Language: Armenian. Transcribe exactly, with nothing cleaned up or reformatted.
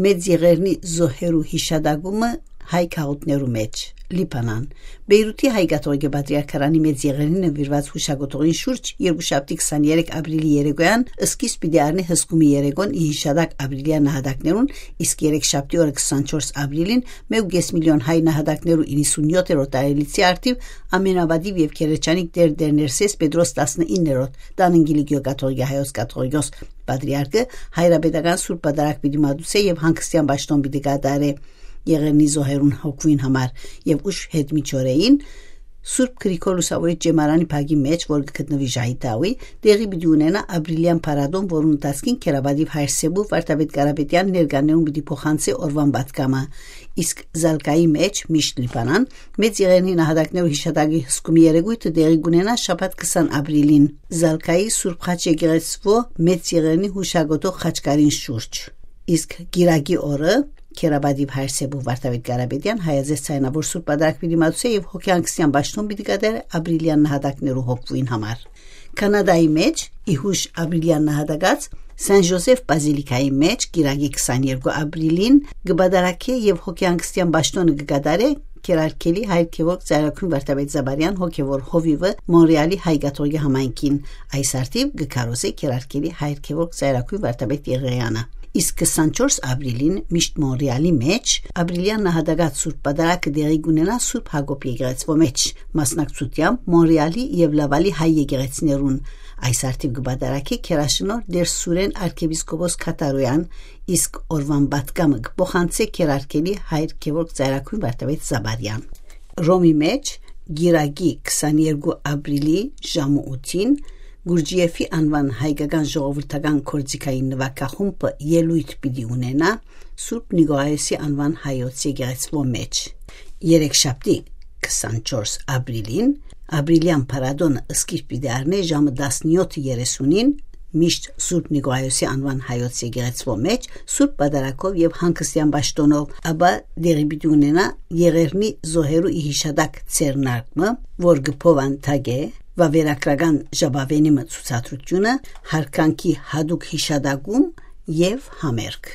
մեծ եղերնի զոհերու հիշադակումը հայ քաղաքներու մեջ Լիբանան Բեյրութի հայկաթողիկե պատրիարքարանի մեծ եղերնին նվիրված հուշագոտողին շուրջ երկուշաբթի քսաներեք ապրիլի երեկոյան սկիզբ պիտի առնի հսկումի երեկոն ի հիշադակ ապրիլյան նահատակներուն, իսկ երեքշաբթի օրը քսանչորս ապրիլին մեկ միլիոն հայ նահատակներու իննսունյոթերորդ տարելիցի արդիվ ամենավադիվ եւ քերեչանիկ դեր դերներսես Պետրոս տասնիններորդ Տանընգիլի գյուղակաթողիկե հայոց կաթողիկոս պատրիարքը հայրապետական սուրբ պատարագ պիտի մատուցե եւ հանգստյան պաշտոն պիտի կատարե եղերնի զոհերուն հոգվին համար եւ ուշ հետ միջօրեին Սուրբ Գրիգոր Լուսավորի ջեմարանի փագի մեջ, որ գտնվի Ժայտաուի, տեղի պիտի ունենա ապրիլյան փառատոն, որուն ընթացքին Քերաբադիվ Հայրսեբու Վարդապետ Կարապետյան ներկաներուն պիտի փոխանցի օրվան պատգամը, իսկ Զալկայի մեջ միշտ Լիբանան մեծ եղերնի նահատակներու հիշատակի հսկումի երեկույթը տեղի կունենա շաբաթ քսան ապրիլին Զալկայի Սուրբ Խաչ եկեղեցվո մեծ եղերնի հուշագոտող խաչկարին շուրջ, իսկ Գիրագի օրը Քերաբադիվ Հայրսեբու Վարդապետ Կարապետյան հայազես ցայնավոր սուրբ պատարագ պիտի մատուցե եւ հոգեանկստյան պաշտոն պիտի կատարե ապրիլյան նահատակներու հոգվին համար։ Կանադայի մեջ իհուշ ապրիլյան նահատակած Սան Ժոզեֆ բազիլիկայի մեջ Գիրագի քսաներկու ապրիլին գբադարակե եւ հոգեանկստյան պաշտոնը կկատարե Քերարքելի հայ քևորգ Ծայրաքուն Վարդապետ Զաբարյան հոգևոր հովիվը Մոնրեալի հայկաթողիկե համայնքին այս արդիվ գկարոզե Քերարքելի հայ քևորգ Ծայրաքուն Վարդապետ Եղեյանը Իսկ քսանչորս ապրիլին միշտ Մոնրեալի մեջ ապրիլյան նահատակած սուրբ պատարագը դեղի կունենա Սուրբ Հակոբ եկեղեցվո մեջ մասնակցությամբ Մոնրեալի եւ Լավալի հայ եկեղեցիներուն այս արդիվ կպատարագի Քերաշնոր Դեր Սուրեն arczepiskopos Քատարոյան իսկ օրվան պատգամը կփոխանցե Քերարքելի հայ քևորգ Ծայրաքուն Վարդապետ Զաբարյան Ռոմի մեջ Գիրագի քսաներկու ապրիլի ժամը ութին Գուրջիեֆի անվան հայկական ժողովրդական կորձիկային նվագախումբը ելույթ պիտի ունենա Սուրբ Նիկողայոսի անվան հայոց եկեղեցվո մեջ երեքշաբթի քսանչորս ապրիլին ապրիլյան փառատոնը սկիզբ պիտի առնի ժամը տասնյոթ երեսունին միշտ Սուրբ Նիկողայոսի անվան հայոց եկեղեցվո մեջ Սուրբ պատարագով եւ հանգստյան պաշտոնով ապա դեղի պիտի ունենա եղերնի զոհերու հիշադակ ցերնարկը որ գփովան թագե Վավերագրական ժապավենի մցուցադրությունը հարկանքի հadouk հիշադակում եւ համերգ